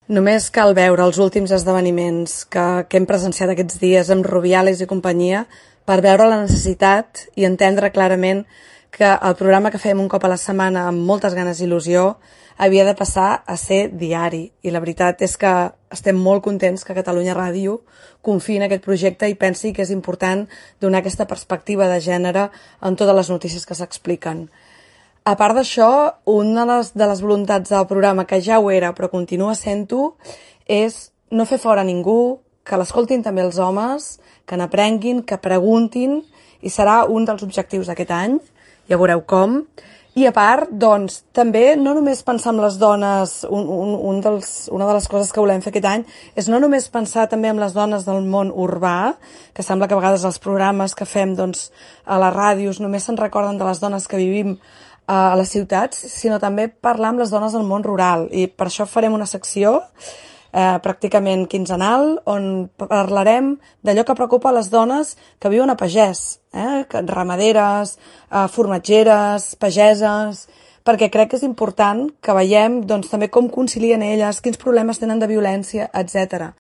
Només cal veure els últims esdeveniments que hem presenciat aquests dies amb Rubiales i companyia per veure la necessitat i entendre clarament que el programa que fem un cop a la setmana amb moltes ganes i il·lusió havia de passar a ser diari. I la veritat és que estem molt contents que Catalunya Ràdio confiï en aquest projecte i pensi que és important donar aquesta perspectiva de gènere en totes les notícies que s'expliquen. A part d'això, una de les voluntats del programa, que ja ho era però continua sent-ho, és no fer fora ningú, que l'escoltin també els homes, que n'aprenguin, que preguntin, i serà un dels objectius d'aquest any, ja veureu com. I a part, doncs, també no només pensar en les dones, una de les coses que volem fer aquest any és no només pensar també en les dones del món urbà, que sembla que a vegades els programes que fem doncs, a les ràdios només se'n recorden de les dones que vivim a les ciutats, sinó també parlar amb les dones del món rural. I per això farem una secció pràcticament quinzenal on parlarem d'allò que preocupa a les dones que viuen a pagès, ramaderes, formatgeres, pageses, perquè crec que és important que veiem doncs, també com concilien elles, quins problemes tenen de violència, etc.